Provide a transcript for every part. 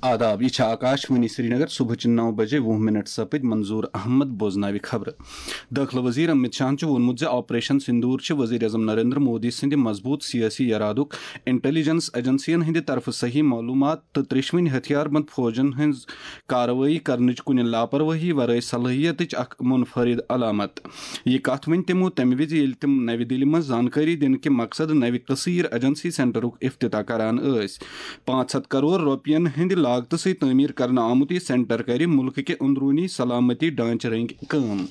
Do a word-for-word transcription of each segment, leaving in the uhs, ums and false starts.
آداب، یہِ چھِ آکاش وانی سرینگر۔ صبحٕچہِ نَو بجے وُہ منٹ سپٕدۍ۔ منظور احمد بوزناوِ خبرٕ۔ دٲخلہٕ وزیر امت شاہن چھُ ووٚنمُت زِ آپریشن سندور چھِ وزیر اعظم نریندر مودی سٕنٛدِ مضبوط سیٲسی ارادُک، انٹیلیجنس ایجنسین ہٕنٛدِ طرفہٕ صحیح معلومات تہٕ ترٛیشوٕنۍ ہتھیار بند فوجن ہٕنٛز کاروٲیی کرنٕچ کُنہِ لاپرواہی ورٲے صلٲحیتٕچ اکھ منفرد علامت۔ یہِ کتھ ؤنۍ تِمو تمہِ وِزِ، ییٚلہِ تِم نَوِ دِلہِ منٛز زانکٲری دِنہٕ کہِ مقصد نَوِ کثیر ایجنسی سینٹرُک افتتاح کران ٲسۍ۔ پانٛژھ ہتھ کرور رۄپین ہٕنٛدِ لاگتہٕ سۭتۍ تعمیٖر کرنہٕ آمُت یہِ سینٹر کرِ مُلکہٕ کہِ اندروٗنی سلامتی ڈھانچہٕ رٔنگۍ کٲم۔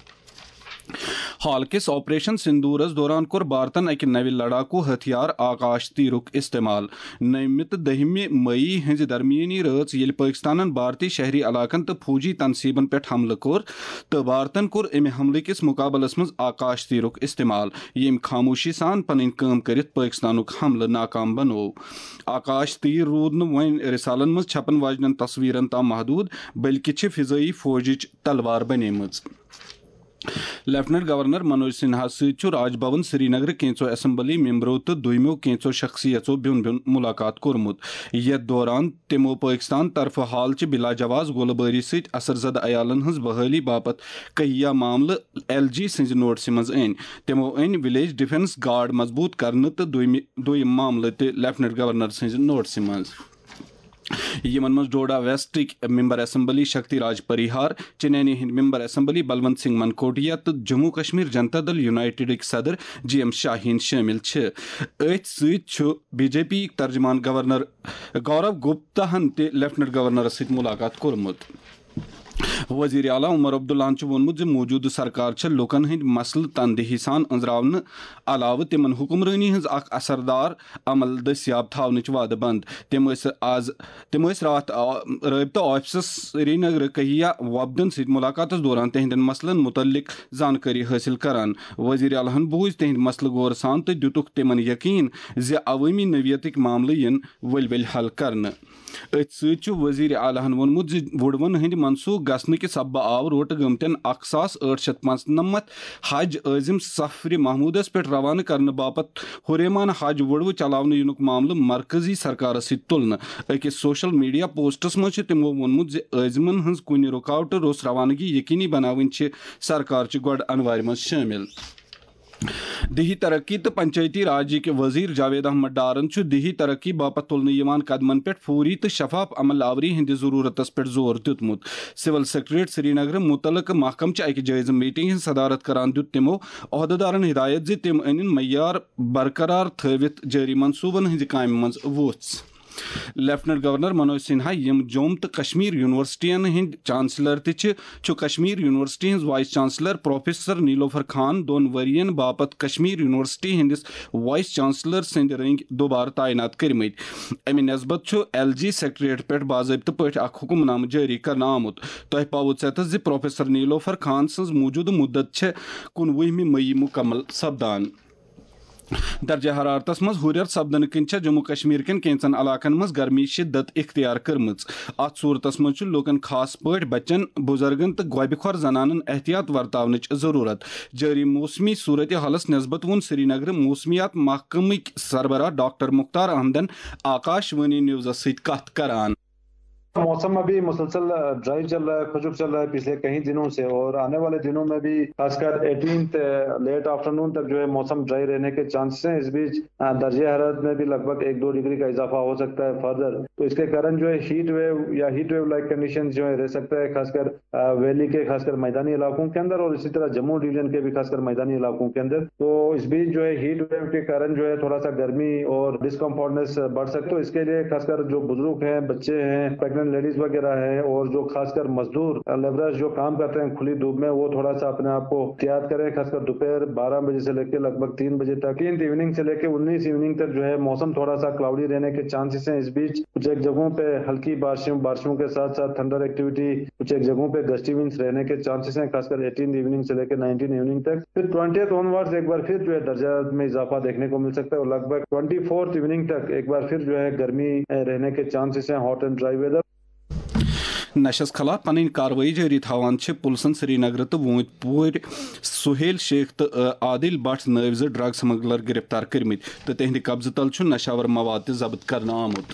حال کِس آپریشن سندورس دوران کوٚر بھارتن اکہِ نوِ لڑاکو ہتھیار آکاش تیرُک استعمال۔ نٔومہِ تہٕ دٔہمہِ مئی ہٕنٛزِ درمیٲنی رٲژ، ییٚلہِ پٲکستانن بھارتی شہری علاقن تہٕ فوجی تنصیبن پٮ۪ٹھ حملہٕ کوٚر، تہٕ بھارتن کوٚر امہِ حملہٕ کِس مقابلس منٛز آکاش تیرُک استعمال، ییٚمۍ خاموشی سان پنٕنۍ کٲم کٔرِتھ پٲکستانُک حملہٕ ناکام بنوو۔ آکاش تیر روٗد نہٕ وۄنۍ رسالن منٛز چھپن واجنٮ۪ن تصویرن تام محدود، بلکہِ چھِ فضٲیی فوجٕچ تلوار بنیمٕژ۔ لیفٹننٹ گورنر منوج سنہا سۭتۍ چھُ راج بھون سرینگرٕ کینژو اسمبلی ممبرو تہٕ دویمو کینژو شخصیژو بیوٚن بیوٚن ملاقات کوٚرمُت، یتھ دوران تِمو پٲکستان طرفہٕ حال چہِ بلا جواز گولہٕ بٲری سۭتۍ اثر زدٕ عیالن ہٕنٛز بحٲلی باپتھ کہیا معاملہٕ ایل جی سٕنٛزِ نوٹسہِ منٛز أنۍ۔ تِمو أنۍ ولیج ڈیفنس گارڈ مضبوط کرنہٕ تہٕ دویمہِ دویم معاملہٕ تہِ لیفٹننٹ گورنر سٕنٛزِ نوٹسہِ منٛز۔ یِمن منٛز ڈوڈا ویسٹٕکۍ ممبر اسمبلی شکتی راج پریہار، چنینی ہٕنٛدۍ ممبر اسمبلی بلونت سنگھ منکوٹیا تہٕ جموں کشمیر جنتا دل یونائیٹڈٕکۍ صدر جی ایم شاہین شٲمِل چھِ۔ أتھۍ سۭتۍ چھُ بی جے پی ترجمان گورنر گورو گپتا ہن تہِ لیفٹننٹ گورنرس سۭتۍ ملاقات کوٚرمُت۔ وزیر اعلیٰ عمر عبداللہن چھُ ووٚنمُت زِ موجودٕ سرکار چھےٚ لوٗکَن ہٕنٛدۍ مسلہٕ تندہی سان أنٛزراونہٕ علاوٕ تِمَن حکمرٲنی ہٕنٛز اکھ اثردار عمل دٔستیاب تھاونٕچ وعدٕ بنٛد۔ تِم ٲسۍ آز، تِم ٲسۍ راتھ آ، رٲبطہٕ آفسَس سرینگرٕ کہیا وۄپدَن سۭتۍ ملاقاتَس دوران تِہنٛدٮ۪ن مسلن متعلق زانکٲری حٲصِل کران۔ وزیر اعلیٰ ہَن بوٗز تِہنٛدۍ مسلہٕ غور سان تہٕ دِتُکھ تِمَن یقین زِ عوٲمی نوعیتٕکۍ معاملہٕ یِن ؤلۍ ؤلۍ حل کرنہٕ۔ أتھۍ سۭتۍ چھُ وزیر اعلیٰ ہَن ووٚنمُت زِ وُڑوَن ہٕنٛدۍ منسوخ گژھنہٕ کہِ سببہٕ آو روٹہٕ گٔمتٮ۪ن اکھ ساس ٲٹھ شیٚتھ پانٛژنَمتھ حج عٲزم سفرِ محمودس پٮ۪ٹھ روانہٕ کرنہٕ باپتھ ہُریمان حج وُڑوٕ چلاونہٕ یِنُک معاملہٕ مرکزی سرکارس سۭتۍ تُلنہٕ۔ أکِس سوشل میڈیا پوسٹس منٛز چھُ تِمو ووٚنمُت زِ عٲزمن ہٕنٛز کُنہِ رُکاوٹہٕ روٚس روانگی یقینی بناوٕنۍ چھِ سرکارچہِ گۄڈٕ انوارِ منٛز شٲمِل۔ دیہی ترقی تہٕ پنچایتی راجٕکۍ وزیر جاوید احمد ڈارن چھُ دیہی ترقی باپتھ تُلنہٕ یِوان قدمن پٮ۪ٹھ فوری تہٕ شفاف عمل آوری ہٕنٛدِ ضروٗرتس پٮ۪ٹھ زور دیُتمُت۔ سول سیکرٹریٹ سرینگرٕ مُتعلقہٕ محکمہٕ چہِ اکہِ جٲیزٕ میٹنگ ہٕنٛز صدارت کران دیُت تِمو عہدٕدارن ہدایت زِ تِم أنِن معیار برقرار تھٲوِتھ جٲری منصوٗبن ہٕنٛزِ کامہِ منٛز وُژھ۔ لیفٹننٹ گورنر منوج سنہا، یِم جوٚم تہٕ کشمیر یونیورسٹین ہٕنٛدۍ چانسلر تہِ چھِ، چھُ کشمیر یونیورسٹی ہٕنٛز وائس چانسلر پروفیسر نیلوفر خان دۄن ؤرین باپتھ کشمیر یونیورسٹی ہٕنٛدِس وائس چانسلر سٕنٛدِ رٔنگۍ دوبارٕ تعینات کٔرمٕتۍ۔ امہِ نسبت چھُ ایل جی سیکرٹریٹ پٮ۪ٹھ باضٲبطہٕ پٲٹھۍ اکھ حکم نامہٕ جٲری کرنہٕ آمُت۔ تۄہہِ پاوُت ژٮ۪تس زِ پروفیسر نیلوفر خان سٕنٛز موجودٕ مُدت چھےٚ کُنوُہمہِ مئی مُکمل سپدان۔ درجہ حرارتس منٛز ہُرٮ۪ر سپدنہٕ کِنۍ چھےٚ جموں کشمیر کٮ۪ن کینٛژن علاقن منٛز گرمی شدت اختیار کٔرمٕژ۔ اتھ صورتس منٛز چھُ لوٗکن، خاص پٲٹھۍ بچن، بُزرگن تہٕ گۄبہِ خۄر زنانن احتیاط ورتاونٕچ ضروٗرت۔ جٲری موسمی صورتحالس نسبت ووٚن سرینگرٕ موسمیات محکمٕکۍ سربراہ ڈاکٹر مختار احمدن آکاش وانی نیوزس سۭتۍ کتھ کران۔ موسم ابھی مسلسل ڈرائی چل رہا ہے، خشک چل رہا ہے پچھلے کئی دنوں سے، اور آنے والے دنوں میں بھی خاص کر ایٹینتھ لیٹ آفٹرنون تک جو ہے موسم ڈرائی رہنے کے چانسز ہیں۔ اس بیچ درجہ حرارت میں بھی لگ بھگ ایک دو ڈگری کا اضافہ ہو سکتا ہے فردر۔ تو اس کے کارن جو ہے ہیٹ ویو یا ہیٹ ویو لائک کنڈیشن جو ہے رہ سکتا ہے، خاص کر ویلی کے خاص کر میدانی علاقوں کے اندر، اور اسی طرح جموں ڈویژن کے بھی خاص کر میدانی علاقوں کے اندر۔ تو اس بیچ جو ہے ہیٹ ویو کے کارن جو ہے تھوڑا سا گرمی اور ڈسکمفورٹنس بڑھ سکتے، تو اس کے لیے خاص کر جو بزرگ ہیں، بچے ہیں، پریگننٹ لیڈیز وغیرہ ہیں، اور جو خاص کر مزدور لیبررز جو کام کرتے ہیں کھلی دھوپ میں، وہ تھوڑا سا اپنے آپ کو احتیاط کریں۔ خاص کر دوپہر بارہ بجے سے لے کے لگ بھگ تین بجے تک، ایٹینتھ ایوننگ سے لے کے انیس ایوننگ تک جو ہے موسم تھوڑا سا کلاؤڈی رہنے کے چانسز ہیں۔ اس بیچ کچھ ایک جگہوں پہ ہلکی بارشوں بارشوں کے ساتھ ساتھ تھنڈر ایکٹیویٹی، کچھ ایک جگہوں پہ گسٹی ونڈز رہنے کے چانسز ہیں، خاص کر ایٹینتھ ایوننگ سے لے کے نائنٹین ایوننگ تک۔ پھر ٹوئنٹیتھ آن ورڈز ایک بار پھر جو ہے درجات میں اضافہ دیکھنے کو مل سکتا ہے، اور لگ بھگ ٹوئنٹی فورتھ ایوننگ تک ایک بار پھر جو ہے گرمی رہنے کے چانسز ہیں، ہاٹ اینڈ ڈرائی ویدر۔ نشس خلاف پنٕنۍ کاروٲیی جٲری تھاوان چھِ پُلسن سرینگرٕ تہٕ ووٗنٛتۍ پورِ سہیل شیخ تہٕ عادل بٹ نٲوۍ زٕ ڈرگ سمگلر گرفتار کٔرمٕتۍ تہٕ تِہنٛدِ قبضہٕ تل چھُ نشاور مواد تہِ ضبط کرنہٕ آمُت۔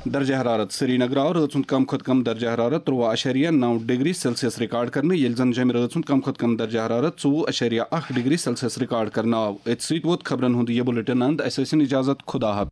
درجہ حرارت۔ سری نگر آو رٲژ ہُنٛد کم کھۄتہٕ کم درجہ حرارت ترٛوُہ اَشاریہ نَو ڈگری سیلسیس ریکارڈ کرنہٕ، ییٚلہِ زن جیٚمہِ رٲژ ہُنٛد کم کھۄتہٕ کم درجہ حرارت ژوٚوُہ اَشاریہ اَکھ ڈگری سیلسیس ریکارڈ کرنہٕ آو۔ أتھۍ سۭتۍ ووت خبرن ہُنٛد یہِ بُلٹن اند۔ اسہِ ٲسِن اجازت، خدا حافظ۔